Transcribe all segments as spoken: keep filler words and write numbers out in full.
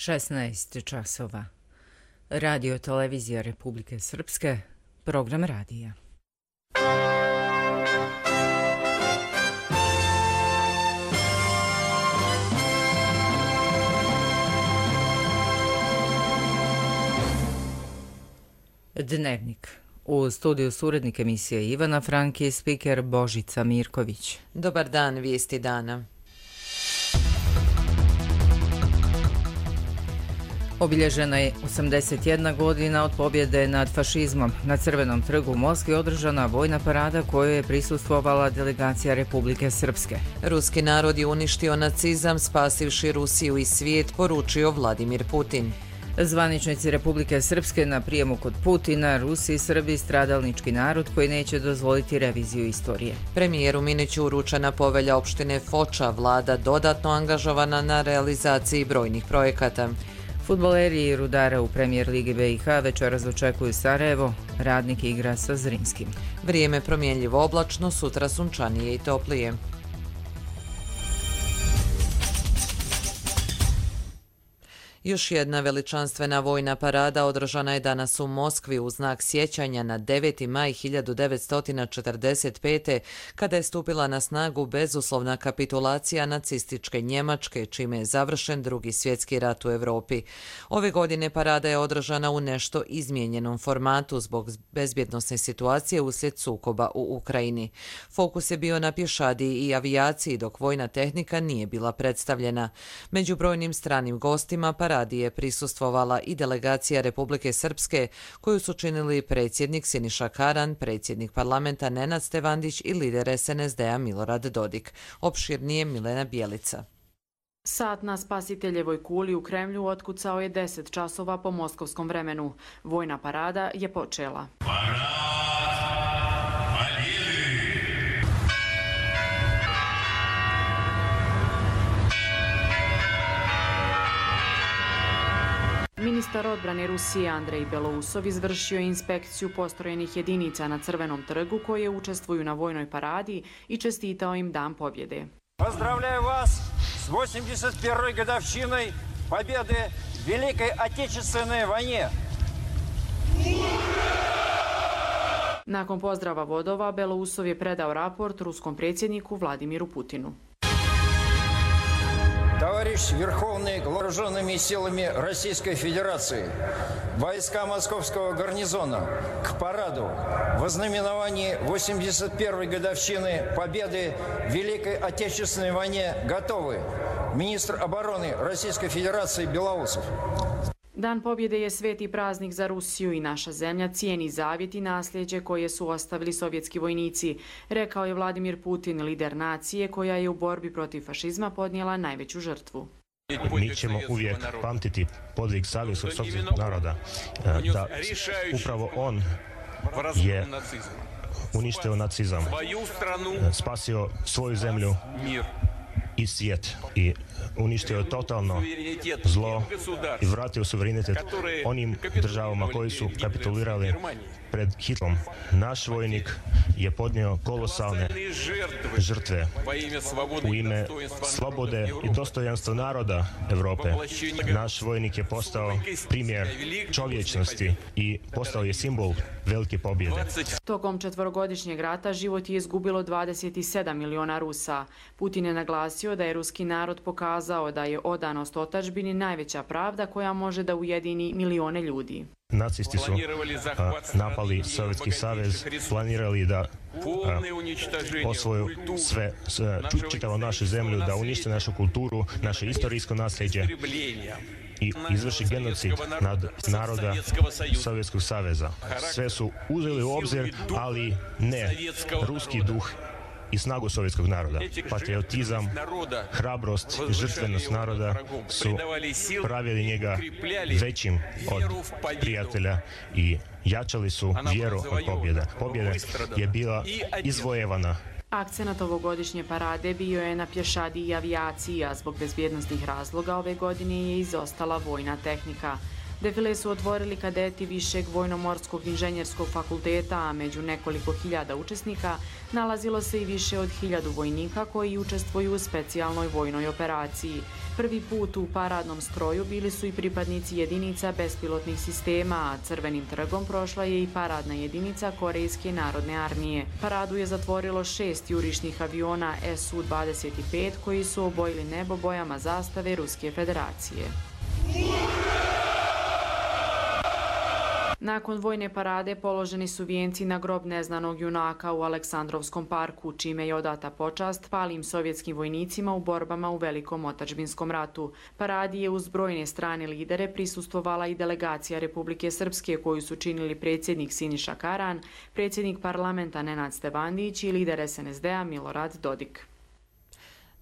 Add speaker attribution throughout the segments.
Speaker 1: šesnaest časova. Radio televizija Republike Srpske, program radija. Dnevnik. U studiju su urednik emisije Ivana Franki i spiker Božica Mirković.
Speaker 2: Dobar dan, vijesti dana.
Speaker 1: Obilježena je osamdeset jedna godina od pobjede nad fašizmom. Na Crvenom trgu u Moskvi održana vojna parada kojoj je prisustvovala delegacija Republike Srpske.
Speaker 2: Ruski narod je uništio nacizam, spasivši Rusiju i svijet, poručio Vladimir Putin.
Speaker 1: Zvaničnici Republike Srpske na prijemu kod Putina, Rusi i Srbi, stradalnički narod koji neće dozvoliti reviziju istorije.
Speaker 2: Premijeru Miniću uručena povelja opštine Foča, vlada dodatno angažovana na realizaciji brojnih projekata.
Speaker 1: Fudbaleri i Rudara u Premijer Ligi B i H večeras očekuju Sarajevo, Radnik igra sa Zrinskim.
Speaker 2: Vrijeme promjenljivo oblačno, sutra sunčanije i toplije. Još jedna veličanstvena vojna parada održana je danas u Moskvi u znak sjećanja na deveti maj hiljadu devetsto četrdeset pete. kada je stupila na snagu bezuslovna kapitulacija nacističke Njemačke, čime je završen Drugi svjetski rat u Europi. Ove godine parada je održana u nešto izmijenjenom formatu zbog bezbjednosne situacije uslijed sukoba u Ukrajini. Fokus je bio na pješadiji i avijaciji, dok vojna tehnika nije bila predstavljena. Među brojnim stranim gostima paradi je prisustvovala i delegacija Republike Srpske, koju su činili predsjednik Siniša Karan, predsjednik parlamenta Nenad Stevandić i lider S N S D-a Milorad Dodik. Opširnije Milena Bjelica.
Speaker 3: Sat na Spasiteljevoj kuli u Kremlju otkucao je deset časova po moskovskom vremenu. Vojna parada je počela. Ministar odbrane Rusije Andrej Belousov izvršio je inspekciju postrojenih jedinica na Crvenom trgu koje učestvuju na vojnoj paradi i čestitao im Dan pobjede.
Speaker 4: Pozdravljaju vas s osamdeset prvoj годовщиной победы в Великой Отечественной войне.
Speaker 3: Nakon pozdrava vodova, Belousov je predao raport ruskom predsjedniku Vladimiru Putinu.
Speaker 4: Товарищ Верховный вооруженными силами Российской Федерации, войска Московского гарнизона к параду в ознаменовании osamdeset prvoj годовщины победы в Великой Отечественной войне готовы. Министр обороны Российской Федерации Белоусов.
Speaker 3: Dan pobjede je sveti praznik za Rusiju i naša zemlja cijeni zavjet i nasljeđe koje su ostavili sovjetski vojnici, rekao je Vladimir Putin, lider nacije koja je u borbi protiv fašizma podnijela najveću žrtvu.
Speaker 5: Mi ćemo uvijek pamtiti podvig savjesnog sovjetskog naroda, da upravo on je uništio nacizam, spasio svoju zemlju i svijet i uništio totalno zlo i vratio suverenitet onim državama koji su kapitulirali pred Hitlerom. Naš vojnik je podnio kolosalne žrtve u ime slobode i dostojanstva naroda Europe. Naš vojnik je postao primjer čovječnosti i postao je simbol velike pobjede.
Speaker 3: Tokom četvorogodišnjeg rata život je izgubilo dvadeset sedam miliona Rusa. Putin je naglasio da je ruski narod pokazao da je odanost otadžbini najveća pravda koja može da ujedini milione ljudi.
Speaker 5: Nacisti su a, napali Sovjetski savez, planirali da a, osvoju sve, sve čitavu našu zemlju, da unište našu kulturu, naše istorijsko nasljeđe i izvrši genocid nad naroda Sovjetskog saveza. Sve su uzeli u obzir, ali ne ruski duh i snagu sovjetskog naroda. Patriotizam, hrabrost i žrtvenost naroda su pravili njega većim od prijatelja i jačali su vjeru od pobjede. Pobjeda je bila izvojevana.
Speaker 3: Akcenat ovogodišnje parade bio je na pješadiji i avijaciji, a zbog bezbjednostnih razloga ove godine je izostala vojna tehnika. Defile su otvorili kadeti Višeg vojnomorskog inženjerskog fakulteta, a među nekoliko hiljada učesnika nalazilo se i više od hiljadu vojnika koji učestvuju u specijalnoj vojnoj operaciji. Prvi put u paradnom stroju bili su i pripadnici jedinica bespilotnih sistema, a Crvenim trgom prošla je i paradna jedinica Korejske narodne armije. Paradu je zatvorilo šest jurišnih aviona S U dvadeset pet koji su obojili nebo bojama zastave Ruske federacije. Nakon vojne parade položeni su vijenci na grob neznanog junaka u Aleksandrovskom parku, čime je odata počast palim sovjetskim vojnicima u borbama u Velikom otadžbinskom ratu. Paradi je uz brojne strane lidere prisustvovala i delegacija Republike Srpske koju su činili predsjednik Siniša Karan, predsjednik parlamenta Nenad Stevandić i lider S N S D-a Milorad Dodik.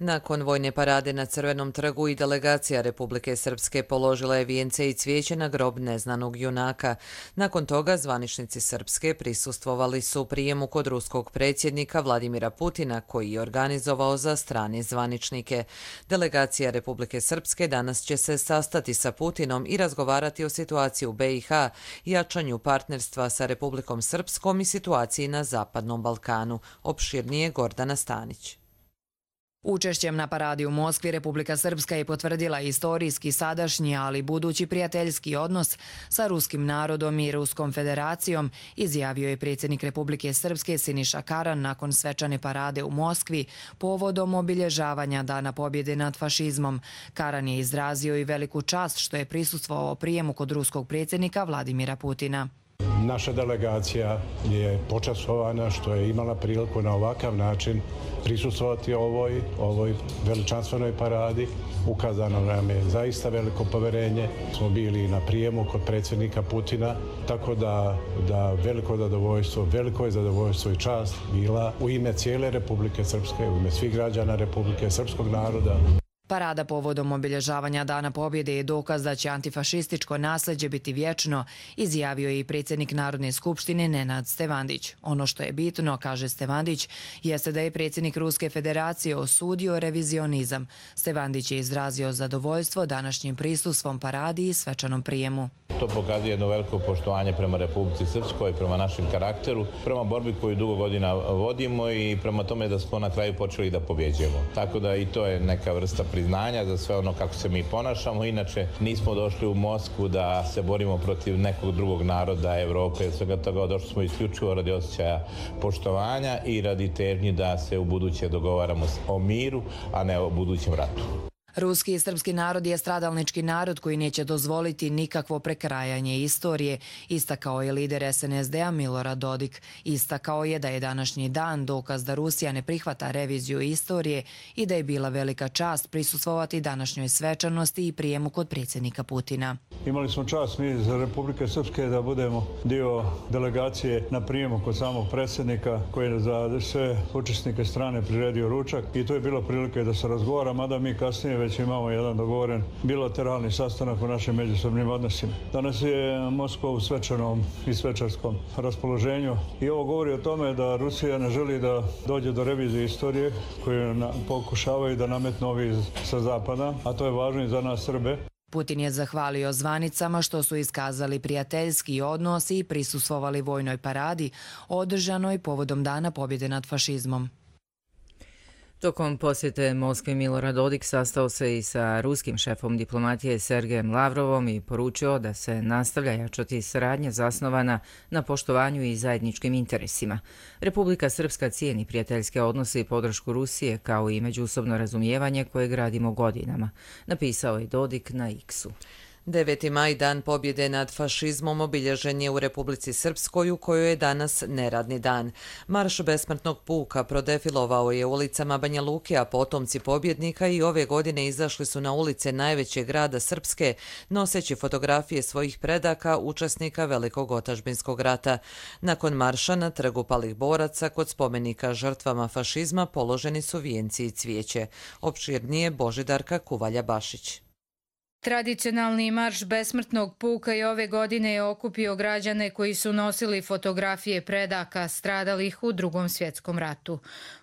Speaker 2: Nakon vojne parade na Crvenom trgu i delegacija Republike Srpske položila je vijence i cvijeće na grob neznanog junaka. Nakon toga zvaničnici Srpske prisustvovali su prijemu kod ruskog predsjednika Vladimira Putina, koji je organizovao za strane zvaničnike. Delegacija Republike Srpske danas će se sastati sa Putinom i razgovarati o situaciji u B i H, jačanju partnerstva sa Republikom Srpskom i situaciji na Zapadnom Balkanu. Opširnije Gordana Stanić.
Speaker 6: Učešćem na paradi u Moskvi Republika Srpska je potvrdila istorijski, sadašnji, ali budući prijateljski odnos sa ruskim narodom i Ruskom federacijom, izjavio je predsjednik Republike Srpske Siniša Karan nakon svečane parade u Moskvi povodom obilježavanja Dana pobjede nad fašizmom. Karan je izrazio i veliku čast što je prisustvovao prijemu kod ruskog predsjednika Vladimira Putina.
Speaker 7: Naša delegacija je počastvovana što je imala priliku na ovakav način prisustvovati ovoj, ovoj veličanstvenoj paradi. Ukazano nam je zaista veliko poverenje. Smo bili na prijemu kod predsjednika Putina, tako da, da veliko zadovoljstvo, veliko je zadovoljstvo i čast bila u ime cijele Republike Srpske, u ime svih građana Republike Srpskog naroda.
Speaker 6: Parada povodom obilježavanja Dana pobjede je dokaz da će antifašističko nasljeđe biti vječno, izjavio je i predsjednik Narodne skupštine Nenad Stevandić. Ono što je bitno, kaže Stevandić, jeste da je predsjednik Ruske federacije osudio revizionizam. Stevandić je izrazio zadovoljstvo današnjim prisustvom paradi i svečanom prijemu.
Speaker 8: To pokazuje jedno veliko poštovanje prema Republici Srpskoj, prema našem karakteru, prema borbi koju dugo godina vodimo i prema tome da smo na kraju počeli da pobjeđujemo. Tako da i to je neka vrsta priznanja za sve ono kako se mi ponašamo. Inače, nismo došli u Moskvu da se borimo protiv nekog drugog naroda, Evrope, svega toga. Došli smo isključivo radi osjećaja poštovanja i radi težnji da se u buduće dogovaramo o miru, a ne o budućem ratu.
Speaker 6: Ruski i srpski narod je stradalnički narod koji neće dozvoliti nikakvo prekrajanje istorije, istakao je lider S N S D-a Milorad Dodik. Istakao je da je današnji dan dokaz da Rusija ne prihvata reviziju istorije i da je bila velika čast prisustvovati današnjoj svečanosti i prijemu kod predsjednika Putina.
Speaker 9: Imali smo čast mi iz Republike Srpske da budemo dio delegacije na prijemu kod samog predsjednika koji je za sve učesnike strane priredio ručak i to je bilo prilike da se razgovara, mada mi kasnije već imamo jedan dogovoren bilateralni sastanak o našim međusobnim odnosima. Danas je Moskva u svečanom i svečarskom raspoloženju i ovo govori o tome da Rusija ne želi da dođe do revizije istorije koju pokušavaju da nametnu ovi sa zapada, a to je važno i za nas Srbe.
Speaker 6: Putin je zahvalio zvanicama što su iskazali prijateljski odnos i prisustvovali vojnoj paradi održanoj povodom Dana pobjede nad fašizmom.
Speaker 1: Tokom posjete Moskvi Milorad Dodik sastao se i sa ruskim šefom diplomatije Sergejem Lavrovom i poručio da se nastavlja jačati saradnja zasnovana na poštovanju i zajedničkim interesima. Republika Srpska cijeni prijateljske odnose i podršku Rusije kao i međusobno razumijevanje koje gradimo godinama, napisao je Dodik na X-u.
Speaker 2: deveti maj, dan pobjede nad fašizmom, obilježen je u Republici Srpskoj u kojoj je danas neradni dan. Marš besmrtnog puka prodefilovao je ulicama Banja Luke, a potomci pobjednika i ove godine izašli su na ulice najvećeg grada Srpske, noseći fotografije svojih predaka, učesnika Velikog otadžbinskog rata. Nakon marša na trgu palih boraca kod spomenika žrtvama fašizma položeni su vijenci i cvijeće. Opširnije Božidarka Kuvalja Bašić.
Speaker 10: Tradicionalni marš besmrtnog puka i ove godine je okupio građane koji su nosili fotografije predaka stradalih u Drugom svjetskom ratu.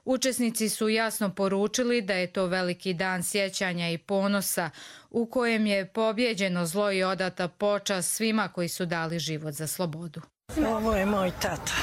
Speaker 10: Učesnici su jasno poručili da je to veliki dan sjećanja i ponosa u kojem je pobjeđeno zlo i odata počast svima koji su dali život za slobodu.
Speaker 11: Ovo je moj tata,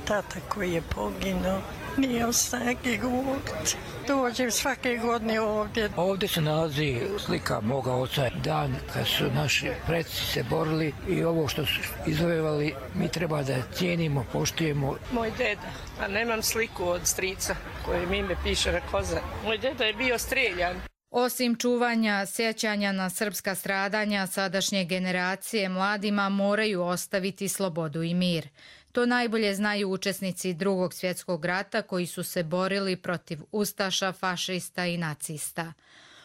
Speaker 11: tata koji je poginuo. Nije snage govoriti. Dođem svake godine ovdje.
Speaker 12: Ovdje se nalazi slika moga oca, dan kad su naši preci se borili i ovo što su izvojevali mi treba da cijenimo, poštujemo.
Speaker 11: Moj deda, a nemam sliku od strica koje mi ime piše na koza. Moj deda je bio streljan.
Speaker 10: Osim čuvanja sjećanja na srpska stradanja, sadašnje generacije mladima moraju ostaviti slobodu i mir. To najbolje znaju učesnici Drugog svjetskog rata koji su se borili protiv ustaša, fašista i nacista.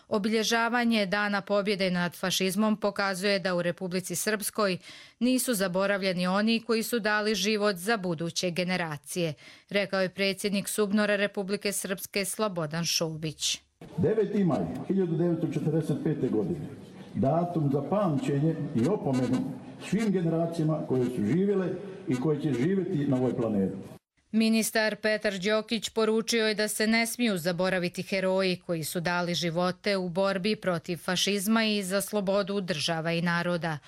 Speaker 10: Obilježavanje Dana pobjede nad fašizmom pokazuje da u Republici Srpskoj nisu zaboravljeni oni koji su dali život za buduće generacije, rekao je predsjednik SUBNOR-a Republike Srpske Slobodan Šobić.
Speaker 13: deveti maj hiljadu devetsto četrdeset pete. godine, datum za pamćenje i opomenu svim generacijama koje su živjele i koje će živjeti na ovoj planeti.
Speaker 10: Ministar Petar Đokić poručio je da se ne smiju zaboraviti heroji koji su dali živote u borbi protiv fašizma i za slobodu država i naroda.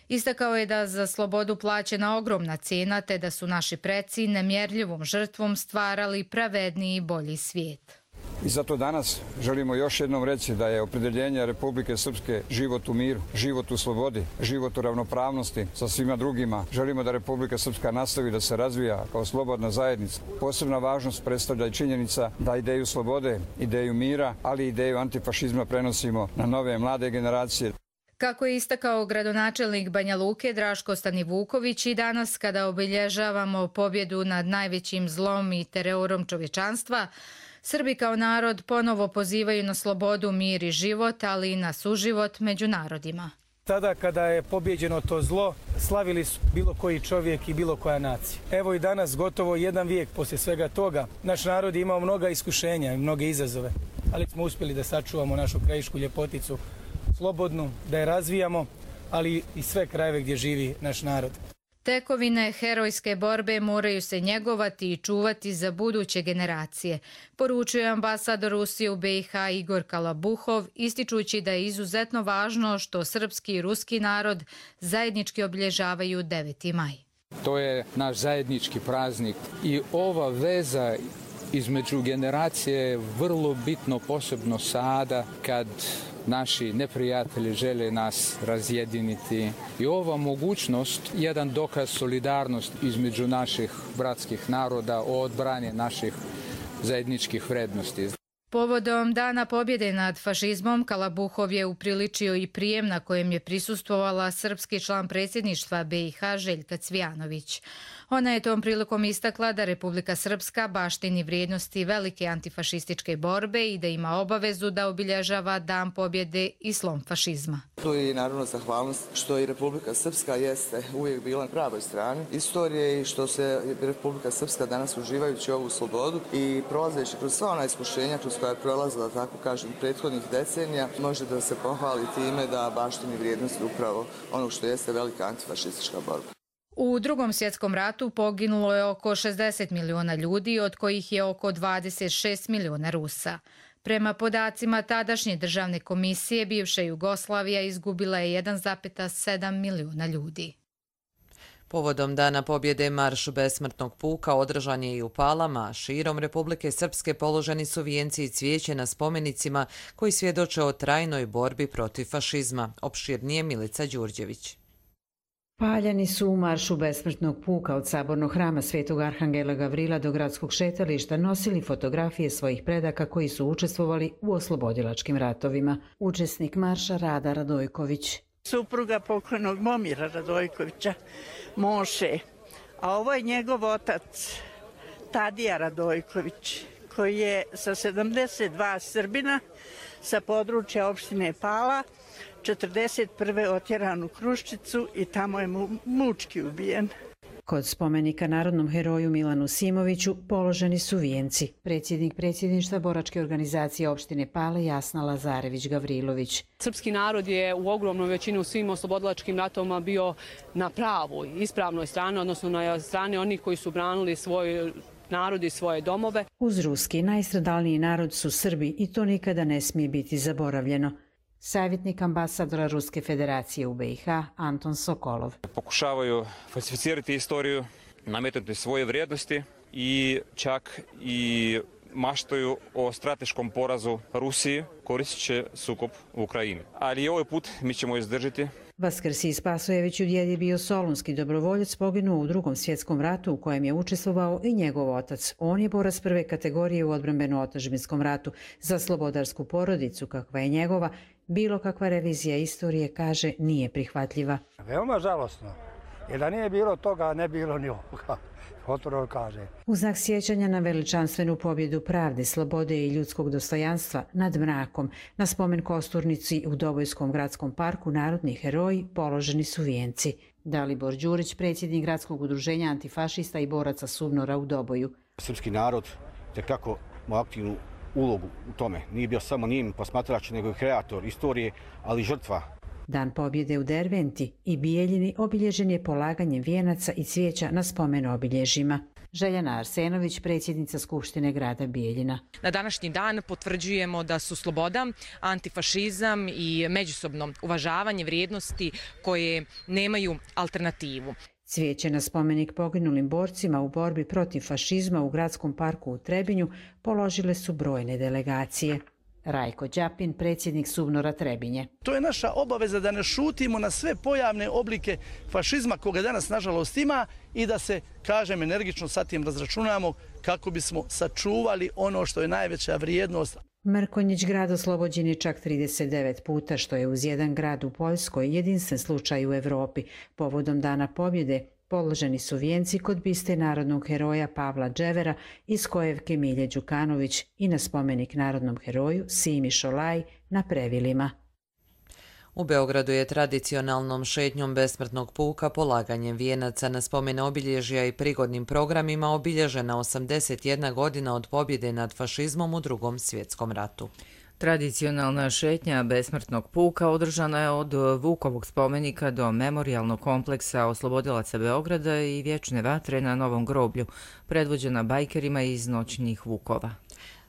Speaker 10: Istakao je da za slobodu plaćena ogromna cijena te da su naši preci nemjerljivom žrtvom stvarali pravedniji i bolji svijet.
Speaker 14: I zato danas želimo još jednom reći da je opredjeljenje Republike Srpske život u miru, život u slobodi, život u ravnopravnosti sa svima drugima. Želimo da Republika Srpska nastavi da se razvija kao slobodna zajednica. Posebna važnost predstavlja i činjenica da ideju slobode, ideju mira, ali i ideju antifašizma prenosimo na nove mlade generacije.
Speaker 10: Kako je istakao gradonačelnik Banja Luke Draško Stanivuković, i danas kada obilježavamo pobjedu nad najvećim zlom i terorom čovječanstva, Srbi kao narod ponovo pozivaju na slobodu, mir i život, ali i na suživot među narodima.
Speaker 15: Tada kada je pobjeđeno to zlo, slavili su bilo koji čovjek i bilo koja nacija. Evo i danas, gotovo jedan vijek poslije svega toga, naš narod je imao mnoga iskušenja i mnoge izazove, ali smo uspjeli da sačuvamo našu krajišku ljepoticu slobodnu, da je razvijamo, ali i sve krajeve gdje živi naš narod.
Speaker 10: Tekovine herojske borbe moraju se njegovati i čuvati za buduće generacije, poručuje ambasador Rusije u be i ha Igor Kalabuhov, ističući da je izuzetno važno što srpski i ruski narod zajednički obilježavaju deveti maj.
Speaker 16: To je naš zajednički praznik i ova veza između generacije je vrlo bitno, posebno sada kad naši neprijatelji žele nas razjediniti. I ova mogućnost je jedan dokaz solidarnosti između naših bratskih naroda o odbrani naših zajedničkih vrednosti.
Speaker 10: Povodom Dana pobjede nad fašizmom, Kalabuhov je upriličio i prijem na kojem je prisustvovala srpski član predsjedništva be i ha Željka Cvijanović. Ona je tom prilikom istakla da Republika Srpska baštini vrijednosti velike antifašističke borbe i da ima obavezu da obilježava Dan pobjede i slom fašizma.
Speaker 17: Tu je naravno zahvalnost što i Republika Srpska jeste uvijek bila na pravoj strani istorije i što se Republika Srpska danas uživajući ovu slobodu i prolazeći kroz sva ona iskušenja kroz koja je prolazila, tako kažem, prethodnih decenija, može da se pohvali time da baštini vrijednosti upravo onog što jeste velika antifašistička borba.
Speaker 10: U Drugom svjetskom ratu poginulo je oko šezdeset miliona ljudi, od kojih je oko dvadeset šest miliona Rusa. Prema podacima tadašnje državne komisije, bivša Jugoslavija izgubila je jedan zarez sedam miliona ljudi.
Speaker 2: Povodom Dana pobjede marš besmrtnog puka održan je i u Palama. Širom Republike Srpske položeni su vijenci i cvijeće na spomenicima koji svjedoče o trajnoj borbi protiv fašizma. Opširnije Milica Đurđević.
Speaker 18: Paljani su u maršu besmrtnog puka od sabornog hrama Svetog Arhangela Gavrila do gradskog šetališta nosili fotografije svojih predaka koji su učestvovali u oslobodilačkim ratovima. Učesnik marša Rada Radojković.
Speaker 11: Supruga pokojnog Momira Radojkovića, Moše, a ovo je njegov otac Tadija Radojković, koji je sa sedamdeset dva Srbina sa područja opštine Pala četrdeset prve otjeran u Kruščicu i tamo je mu mučki ubijen.
Speaker 18: Kod spomenika narodnom heroju Milanu Simoviću položeni su vijenci. Predsjednik predsjedništva boračke organizacije opštine Pale Jasna Lazarević-Gavrilović.
Speaker 19: Srpski narod je u ogromnoj većini u svim oslobodilačkim ratovima bio na pravoj, ispravnoj strani, odnosno na strani onih koji su branili svoj narod i svoje domove.
Speaker 18: Uz ruski najstradalniji narod su Srbi i to nikada ne smije biti zaboravljeno. Savjetnik ambasadora Ruske federacije u B i H Anton Sokolov.
Speaker 20: Pokušavaju falsificirati istoriju, nametnuti svoje vrijednosti i čak i maštaju o strateškom porazu Rusiji koristeći sukob u Ukrajini. Ali i ovaj put mi ćemo izdržati.
Speaker 18: Vaskrsij Spasojević u djed je bio solunski dobrovoljac, poginuo u drugom svjetskom ratu u kojem je učestvovao i njegov otac. On je borac prve kategorije u odbrambeno-otadžbinskom ratu. Za slobodarsku porodicu, kakva je njegova, bilo kakva revizija istorije, kaže, nije prihvatljiva.
Speaker 21: Veoma žalosno, jer da nije bilo toga, ne bilo ni ovoga. Otvoreno kaže.
Speaker 18: U znak sjećanja na veličanstvenu pobjedu pravde, slobode i ljudskog dostojanstva nad mrakom, na spomen kosturnici u Dobojskom gradskom parku narodni heroji položeni su vijenci. Dalibor Đurić, predsjednik gradskog udruženja antifašista i boraca SUBNOR-a u Doboju.
Speaker 22: Srpski narod tekako ima aktivnu ulogu u tome. Nije bio samo njim posmatrač, nego i kreator istorije, ali žrtva.
Speaker 18: Dan pobjede u Derventi i Bijeljini obilježen je polaganjem vijenaca i cvijeća na spomen obilježjima. Željana Arsenović, predsjednica Skupštine grada Bijeljina.
Speaker 23: Na današnji dan potvrđujemo da su sloboda, antifašizam i međusobno uvažavanje vrijednosti koje nemaju alternativu.
Speaker 18: Cvijeće na spomenik poginulim borcima u borbi protiv fašizma u gradskom parku u Trebinju položile su brojne delegacije. Rajko Đapin, predsjednik SUBNOR-a Trebinje.
Speaker 24: To je naša obaveza da ne šutimo na sve pojavne oblike fašizma koga danas nažalost ima i da se, kažem, energično sa tim razračunamo kako bismo sačuvali ono što je najveća vrijednost.
Speaker 18: Mrkonjić grad oslobođen je čak trideset devet puta, što je uz jedan grad u Poljskoj jedinstven slučaj u Evropi. Povodom Dana pobjede položeni su vijenci kod biste narodnog heroja Pavla Dževera iz Kojevke Milje Đukanović i na spomenik narodnom heroju Simi Šolaj na Previlima.
Speaker 2: U Beogradu je tradicionalnom šetnjom besmrtnog puka, polaganjem vijenaca na spomen obilježja i prigodnim programima obilježena osamdeset jedna godina od pobjede nad fašizmom u Drugom svjetskom ratu.
Speaker 1: Tradicionalna šetnja besmrtnog puka održana je od Vukovog spomenika do memorijalnog kompleksa Oslobodilaca Beograda i Vječne vatre na Novom groblju, predvođena bajkerima iz noćnih Vukova.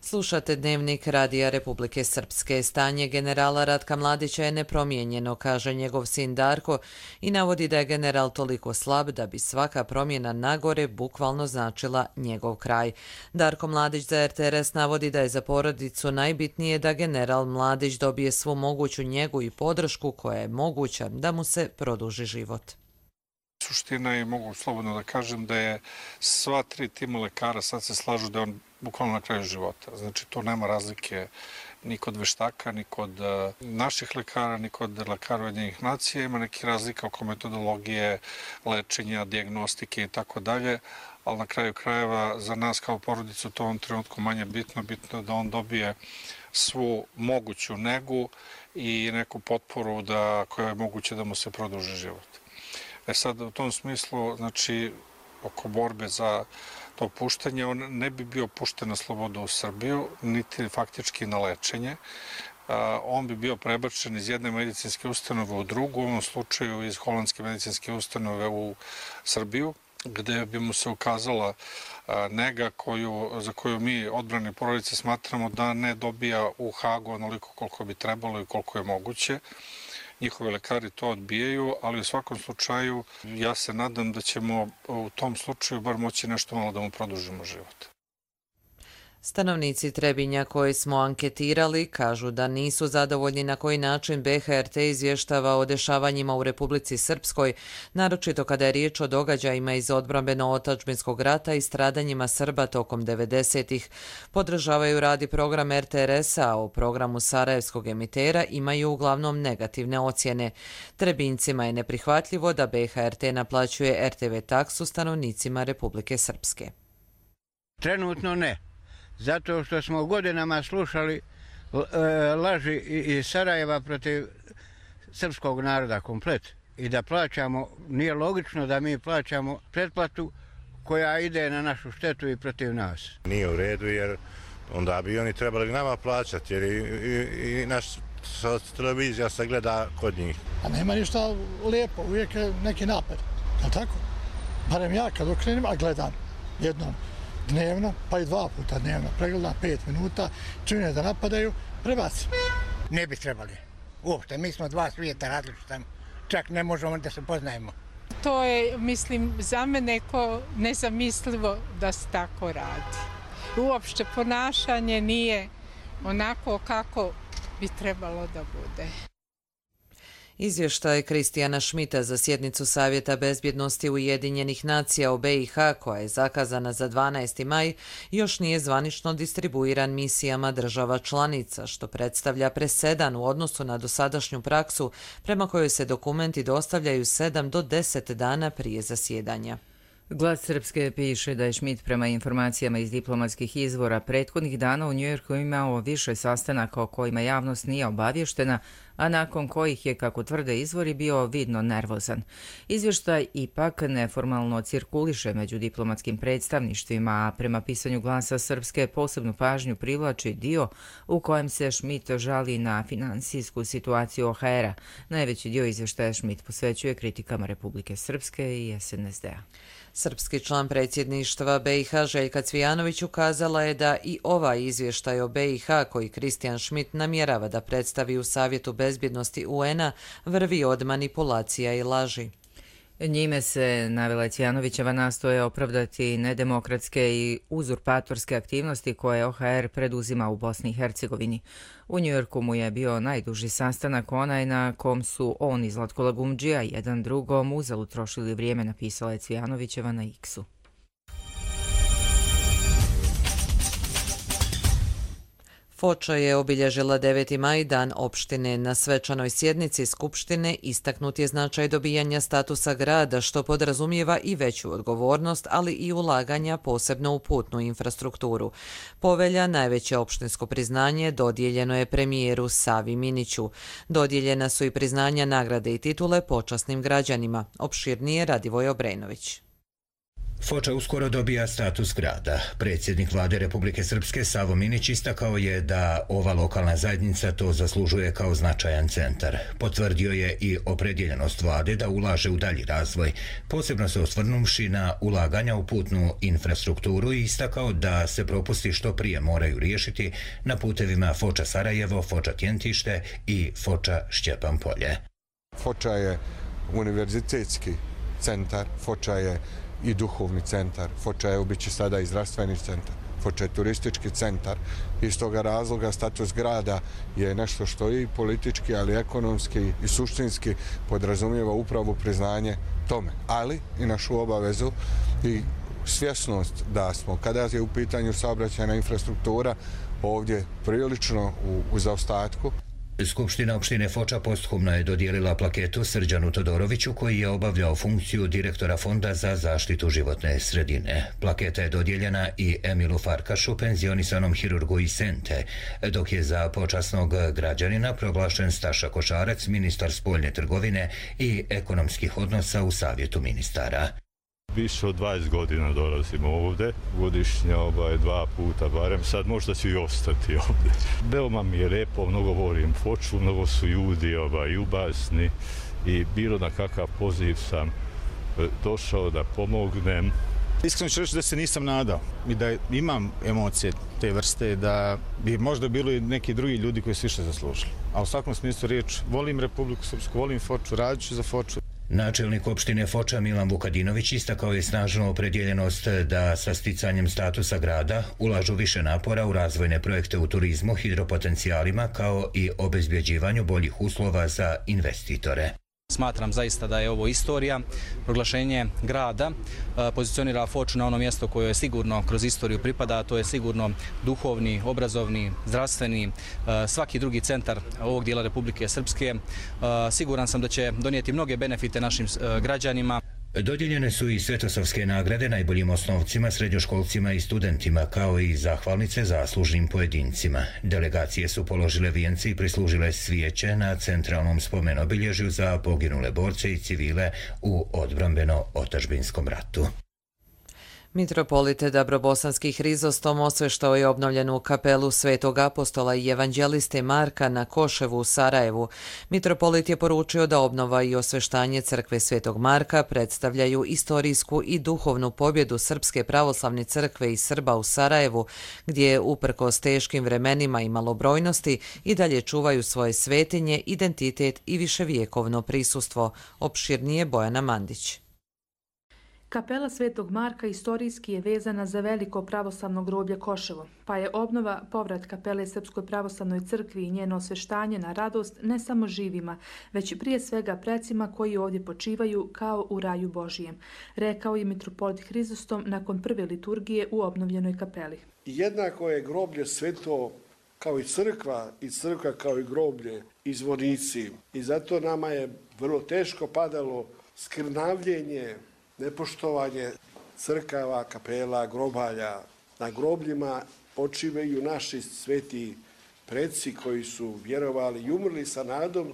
Speaker 2: Slušate Dnevnik Radija Republike Srpske. Stanje generala Ratka Mladića je nepromijenjeno, kaže njegov sin Darko, i navodi da je general toliko slab da bi svaka promjena nagore bukvalno značila njegov kraj. Darko Mladić za R T R S navodi da je za porodicu najbitnije da general Mladić dobije svu moguću njegu i podršku koja je moguća da mu se produži život.
Speaker 25: Suština je, mogu slobodno da kažem, da je sva tri tima lekara sad se slažu da je on bukvalno na kraju života. Znači, to nema razlike ni kod veštaka, ni kod naših lekara, ni kod lekara Ujedinjenih nacija. Ima neke razlike oko metodologije, lečenja, dijagnostike i tako dalje, ali na kraju krajeva za nas kao porodicu to u ovom trenutku manje bitno. Bitno je da on dobije svu moguću negu i neku potporu da, koja je moguće da mu se produži život. E sad, u tom smislu, znači, oko borbe za to puštanje, on ne bi bio pušten na slobodu u Srbiju, niti faktički na lečenje. On bi bio prebačen iz jedne medicinske ustanove u drugu, u ovom slučaju iz holandske medicinske ustanove u Srbiju, gde bi mu se ukazala nega koju, za koju mi odbrane porodice smatramo da ne dobija u Hagu onoliko koliko bi trebalo i koliko je moguće. Njihovi lekari to odbijaju, ali u svakom slučaju ja se nadam da ćemo u tom slučaju bar moći nešto malo da mu produžimo život.
Speaker 2: Stanovnici Trebinja koji smo anketirali kažu da nisu zadovoljni na koji način B H R T izvještava o dešavanjima u Republici Srpskoj, naročito kada je riječ o događajima iz odbrambeno-otadžbinskog rata i stradanjima Srba tokom devedesetih. Podržavaju rad i program R T R S-a, a o programu sarajevskog emitera imaju uglavnom negativne ocjene. Trebincima je neprihvatljivo da B H R T naplaćuje R T V taksu stanovnicima Republike Srpske.
Speaker 26: Trenutno ne. Zato što smo godinama slušali laži iz Sarajeva protiv srpskog naroda komplet. i da plaćamo, nije logično da mi plaćamo pretplatu koja ide na našu štetu i protiv nas.
Speaker 3: Nije u redu jer onda bi oni trebali nama plaćati jer i, i, i naš televizija se gleda kod njih.
Speaker 4: A nema ništa lijepo, uvijek je neki napad, je li tako? Barem ja kad okrenem, a gledam jednom dnevno, pa i dva puta dnevno, pregledam pet minuta, čine da napadaju, prebacim.
Speaker 5: Ne bi trebali. Uopšte, mi smo dva svijeta različita, čak ne možemo da se poznajemo.
Speaker 7: To je, mislim, za mene ko nezamislivo da se tako radi. Uopšte ponašanje nije onako kako bi trebalo da bude.
Speaker 2: Izvještaj Kristijana Šmita za sjednicu Savjeta bezbjednosti Ujedinjenih nacija o B i H, koja je zakazana za dvanaesti maj, još nije zvanično distribuiran misijama država članica, što predstavlja presedan u odnosu na dosadašnju praksu prema kojoj se dokumenti dostavljaju sedam do deset dana prije zasjedanja.
Speaker 1: Glas Srpske piše da je Šmit prema informacijama iz diplomatskih izvora prethodnih dana u Njujorku imao više sastanaka o kojima javnost nije obavještena, a nakon kojih je, kako tvrde izvori, bio vidno nervozan. Izvještaj ipak neformalno cirkuliše među diplomatskim predstavništvima, a prema pisanju Glasa Srpske posebnu pažnju privlači dio u kojem se Šmit žali na finansijsku situaciju O H R-a. Najveći dio izvještaja Šmit posvećuje kritikama Republike Srpske i S N S D-a.
Speaker 2: Srpski član predsjedništva B i H Željka Cvijanović ukazala je da i ovaj izvještaj o B i H koji Kristijan Šmit namjerava da predstavi u Savjetu bezbjednosti U N-a vrvi od manipulacija i laži.
Speaker 1: Njime se, navela Cvijanovićeva, nastoje opravdati nedemokratske i uzurpatorske aktivnosti koje O H R preduzima u Bosni i Hercegovini. U Njujorku mu je bio najduži sastanak, onaj na kom su on i Zlatko Lagumdžija jedan drugom uzalud trošili vrijeme, napisala je Cvijanovićeva na X-u.
Speaker 2: Foča je obilježila deveti maj, dan opštine. Na svečanoj sjednici Skupštine istaknut je značaj dobijanja statusa grada, što podrazumijeva i veću odgovornost, ali i ulaganja posebno u putnu infrastrukturu. Povelja, najveće opštinsko priznanje, dodijeljeno je premijeru Savi Miniću. Dodijeljena su i priznanja, nagrade i titule počasnim građanima. Opširnije Radivoj Obrenović.
Speaker 8: Foča uskoro dobija status grada. Predsjednik vlade Republike Srpske Savo Minić istakao je da ova lokalna zajednica to zaslužuje kao značajan centar. Potvrdio je i opredjeljenost vlade da ulaže u dalji razvoj, posebno se osvrnuvši na ulaganja u putnu infrastrukturu i istakao da se propusti što prije moraju riješiti na putevima Foča Sarajevo, Foča Tjentište i Foča Šćepan Polje.
Speaker 9: Foča je univerzitetski centar, Foča je i duhovni centar, Foča je ubiće sada i zdravstveni centar, Foča je turistički centar. Iz toga razloga status grada je nešto što i politički, ali ekonomski i suštinski podrazumijeva upravo priznanje tome, ali i našu obavezu i svjesnost da smo, kada je u pitanju saobraćajna infrastruktura, ovdje prilično u, u zaostatku.
Speaker 8: Skupština opštine Foča posthumno je dodijelila plaketu Srđanu Todoroviću, koji je obavljao funkciju direktora Fonda za zaštitu životne sredine. Plaketa je dodijeljena i Emilu Farkašu, penzionisanom hirurgu iz Sente, dok je za počasnog građanina proglašen Staša Košarac, ministar spoljne trgovine i ekonomskih odnosa u Savjetu ministara.
Speaker 27: Više od dvadeset godina dolazimo ovdje, godišnja ovaj, dva puta barem, sad možda ću i ostati ovdje. Veoma mi je lijepo, mnogo volim Foču, mnogo su ljudi ovaj, ljubazni i bilo na kakav poziv sam došao da pomognem.
Speaker 28: Iskreno ću reći da se nisam nadao i da imam emocije te vrste, da bi možda bilo i neki drugi ljudi koji su više zaslužili. A u svakom smislu riječ, volim Republiku Srpsku, volim Foču, radit ću za Foču.
Speaker 8: Načelnik opštine Foča Milan Vukadinović istakao je snažnu opredjeljenost da sa sticanjem statusa grada ulažu više napora u razvojne projekte u turizmu, hidropotencijalima kao i obezbjeđivanju boljih uslova za investitore.
Speaker 29: Smatram zaista da je ovo istorija. Proglašenje grada pozicionira Foču na ono mjesto koje je sigurno kroz istoriju pripada, a to je sigurno duhovni, obrazovni, zdravstveni, svaki drugi centar ovog dijela Republike Srpske. Siguran sam da će donijeti mnoge benefite našim građanima.
Speaker 8: Dodijeljene su i Svetosavske nagrade najboljim osnovcima, srednjoškolcima i studentima, kao i zahvalnice zaslužnim pojedincima. Delegacije su položile vijence i prislužile svijeće na centralnom spomenobilježju za poginule borce i civile u odbrambeno-otadžbinskom ratu.
Speaker 2: Mitropolite Dabrobosanski Hrizostom osveštao je obnovljenu kapelu Svetog apostola i evanđeliste Marka na Koševu u Sarajevu. Mitropolit je poručio da obnova i osveštanje crkve Svetog Marka predstavljaju istorijsku i duhovnu pobjedu Srpske pravoslavne crkve i Srba u Sarajevu, gdje uprkos teškim vremenima i malobrojnosti i dalje čuvaju svoje svetinje, identitet i viševjekovno prisustvo. Opširnije Bojana Mandić.
Speaker 6: Kapela Svetog Marka istorijski je vezana za veliko pravoslavno groblje Koševo, pa je obnova povrat kapele Srpskoj pravoslavnoj crkvi i njeno osveštanje na radost ne samo živima, već i prije svega precima koji ovdje počivaju kao u raju Božijem, rekao je mitropolit Hrizostom nakon prve liturgije u obnovljenoj kapeli.
Speaker 10: Jednako je groblje sveto kao i crkva i crkva kao i groblje i zvonici. I zato nama je vrlo teško padalo skrnavljenje, nepoštovanje crkava, kapela, grobalja. Na grobljima počivaju naši sveti preci koji su vjerovali i umrli sa nadom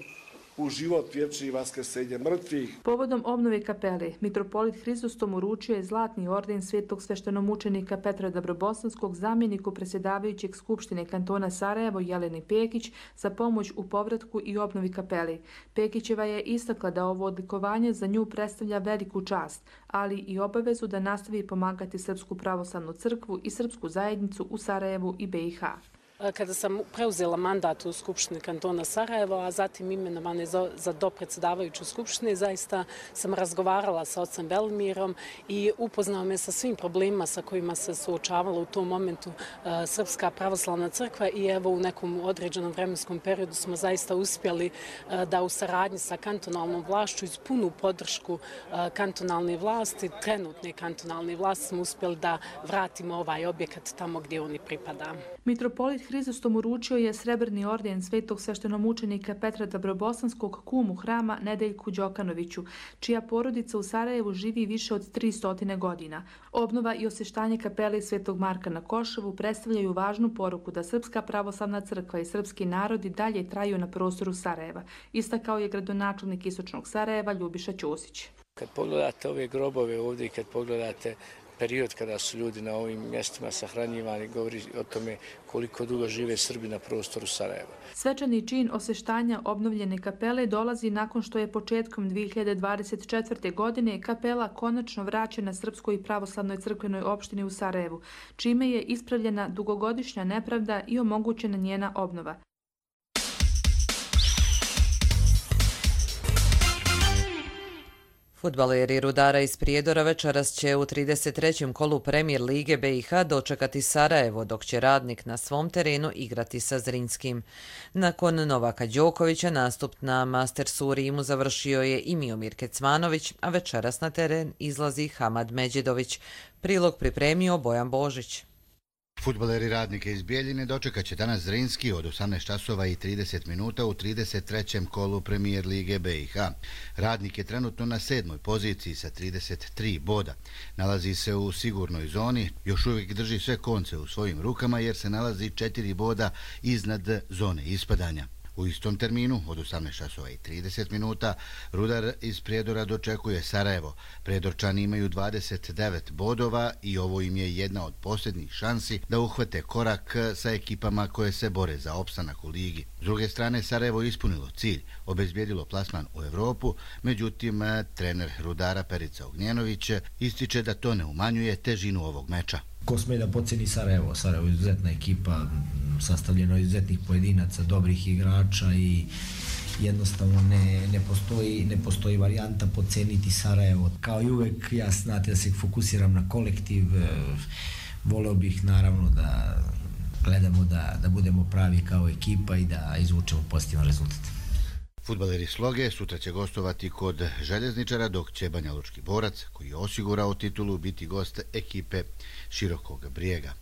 Speaker 10: u život vječni i vaskrsenje mrtvih.
Speaker 6: Povodom obnove kapele, mitropolit Hrizostom uručio je zlatni orden svetog sveštenomučenika Petra Dabrobosanskog zamjeniku predsjedavajućeg Skupštine kantona Sarajevo Jeleni Pekić za pomoć u povratku i obnovi kapele. Pekićeva je istakla da ovo odlikovanje za nju predstavlja veliku čast, ali i obavezu da nastavi pomagati Srpsku pravoslavnu crkvu i srpsku zajednicu u Sarajevu i be i ha.
Speaker 11: Kada sam preuzela mandat u Skupštini kantona Sarajevo, a zatim imenovane za, za dopredsjedavajuću Skupštine, zaista sam razgovarala sa ocem Belimirom i upoznao me sa svim problemima sa kojima se suočavala u tom momentu uh, Srpska pravoslavna crkva i evo u nekom određenom vremenskom periodu smo zaista uspjeli uh, da u saradnji sa kantonalnom vlašću iz punu podršku uh, kantonalne vlasti, trenutne kantonalne vlasti smo uspjeli da vratimo ovaj objekat tamo gdje oni pripada.
Speaker 6: Mitropolit Hrizostom uručio je srebrni orden svetog sveštenomučenika Petra Dabrobosanskog kumu hrama Nedeljku Đokanoviću, čija porodica u Sarajevu živi više od tristo godina. Obnova i osveštanje kapele Svetog Marka na Koševu predstavljaju važnu poruku da Srpska pravoslavna crkva i srpski narodi dalje traju na prostoru Sarajeva, istakao je gradonačelnik Istočnog Sarajeva Ljubiša Ćosić.
Speaker 12: Kad pogledate ove grobove ovdje i kad pogledate period kada su ljudi na ovim mjestima sahranjivani, govori o tome koliko dugo žive Srbi na prostoru Sarajeva.
Speaker 6: Svečani čin osveštanja obnovljene kapele dolazi nakon što je početkom dvije hiljade dvadeset četvrte. godine kapela konačno vraćena Srpskoj pravoslavnoj crkvenoj opštini u Sarajevu, čime je ispravljena dugogodišnja nepravda i omogućena njena obnova.
Speaker 2: Fudbaleri Rudara iz Prijedora večeras će u trideset trećem kolu Premier lige be i ha dočekati Sarajevo, dok će Radnik na svom terenu igrati sa Zrinskim. Nakon Novaka Đokovića nastup na Mastersu u Rimu završio je i Miomir Kecmanović, a večeras na teren izlazi Hamad Međedović. Prilog pripremio Bojan Božić.
Speaker 13: Fudbaleri Radnika iz Bijeljine dočekat će danas Zrinski od osamnaest časova i trideset minuta u trideset trećem kolu Premier lige be i ha. Radnik je trenutno na sedmoj poziciji sa trideset tri boda. Nalazi se u sigurnoj zoni, još uvijek drži sve konce u svojim rukama jer se nalazi četiri boda iznad zone ispadanja. U istom terminu, od osamnaest časova i trideset minuta, Rudar iz Prijedora dočekuje Sarajevo. Prijedorčani imaju dvadeset devet bodova i ovo im je jedna od posljednjih šansi da uhvate korak sa ekipama koje se bore za opstanak u ligi. S druge strane, Sarajevo ispunilo cilj, obezbijedilo plasman u Evropu, međutim, trener Rudara Perica Ognjenović ističe da to ne umanjuje težinu ovog meča.
Speaker 14: Ko sme da poceni Sarajevo? Sarajevo je izuzetna ekipa, sastavljeno od izuzetnih pojedinaca, dobrih igrača i jednostavno ne, ne, postoji, ne postoji varijanta poceniti Sarajevo. Kao i uvek, ja znate da se fokusiram na kolektiv, voleo bih naravno da gledamo da, da budemo pravi kao ekipa i da izvučemo pozitivan rezultat.
Speaker 13: Fudbaleri Sloge sutra će gostovati kod Željezničara, dok će Banjalučki Borac, koji je osigurao titulu, biti gost ekipe Širokog Brijega.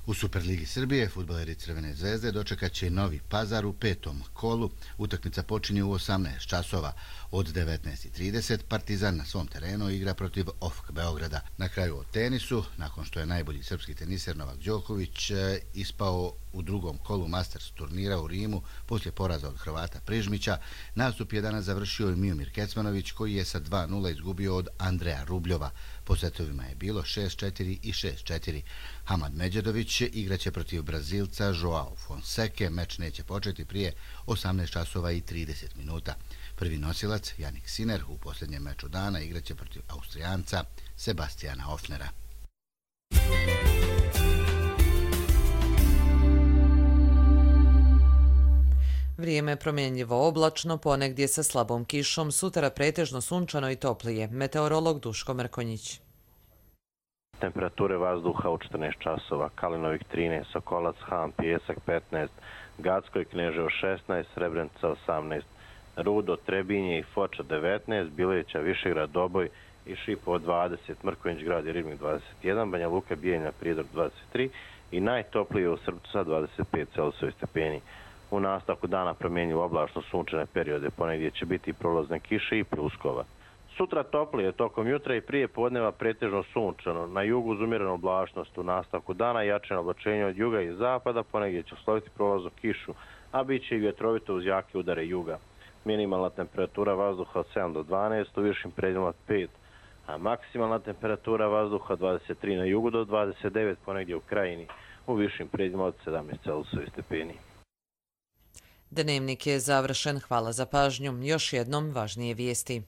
Speaker 13: U Superligi Srbije fudbaleri Crvene zvezde dočekat će Novi Pazar u petom kolu. Utakmica počinje u osamnaest časova. Od devetnaest i trideset Partizan na svom terenu igra protiv O F K Beograda. Na kraju o tenisu, nakon što je najbolji srpski teniser Novak Đoković ispao u drugom kolu Masters turnira u Rimu poslije poraza od Hrvata Prižmića, nastup je danas završio i Miomir Kecmanović koji je sa dva nula izgubio od Andreja Rubljova. Po setovima je bilo šest četiri i šest četiri. Hamad Međedović igraće protiv Brazilca Joao Fonseke. Meč neće početi prije osamnaest časova i trideset minuta. Prvi nosilac, Jannik Sinner, u posljednjem meču dana igraće protiv Austrijanca Sebastijana Hofnera.
Speaker 2: Vrijeme je promjenljivo oblačno, ponegdje sa slabom kišom, sutra pretežno sunčano i toplije. Meteorolog Duško Mrkonjić.
Speaker 15: Temperature vazduha u četrnaest časova, Kalinovik trinaest, Sokolac, Han, Pijesak petnaest, Gacko i Kneževo šesnaest, Srebrenica osamnaest, Rudo, Trebinje i Foča devetnaest, Bileća, Višegrad, Doboj i Šipovo dvadeset, Mrkonjić grad i Ribnik dvadeset jedan, Banja Luka, Bijeljina, Prijedor dvadeset tri i najtoplije u Srbcu sa dvadeset pet Celzijusovih stepeni. U nastavku dana promjenjivo oblačno sunčane periode, ponegdje će biti prolazne kiše i pljuskova. Sutra toplije, tokom jutra i prije podneva pretežno sunčano, na jugu uz umjerenu oblačnost, u nastavku dana jačeno oblačenje od juga i zapada, ponegdje će usloviti prolaznu kišu, a bit će i vjetrovito uz jake udare juga. Minimalna temperatura vazduha od sedam do dvanaest, u višim predjelima od pet, a maksimalna temperatura vazduha od dvadeset tri na jugu do dvadeset devet, ponegdje u krajini, u višim predjelima od sedamnaest Celzijusovih stepeni.
Speaker 2: Dnevnik je završen. Hvala za pažnju. Još jednom važnije vijesti.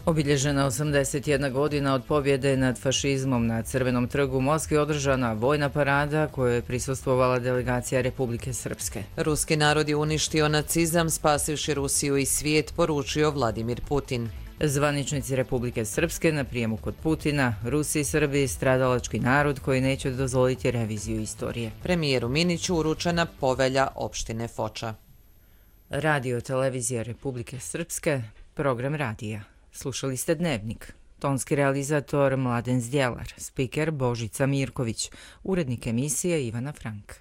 Speaker 1: Obilježena osamdeset jedna godina od pobjede nad fašizmom na Crvenom trgu u Moskvi održana vojna parada kojoj je prisustvovala delegacija Republike Srpske.
Speaker 2: Ruski narod je uništio nacizam, spasivši Rusiju i svijet, poručio Vladimir Putin.
Speaker 1: Zvaničnici Republike Srpske na prijemu kod Putina, Rusi i Srbi, stradalački narod koji neće dozvoliti reviziju istorije.
Speaker 2: Premijeru Miniću uručena povelja opštine Foča.
Speaker 1: Radio televizija Republike Srpske, program radija. Slušali ste Dnevnik. Tonski realizator Mladen Zdjelar, spiker Božica Mirković, urednik emisije Ivana Frank.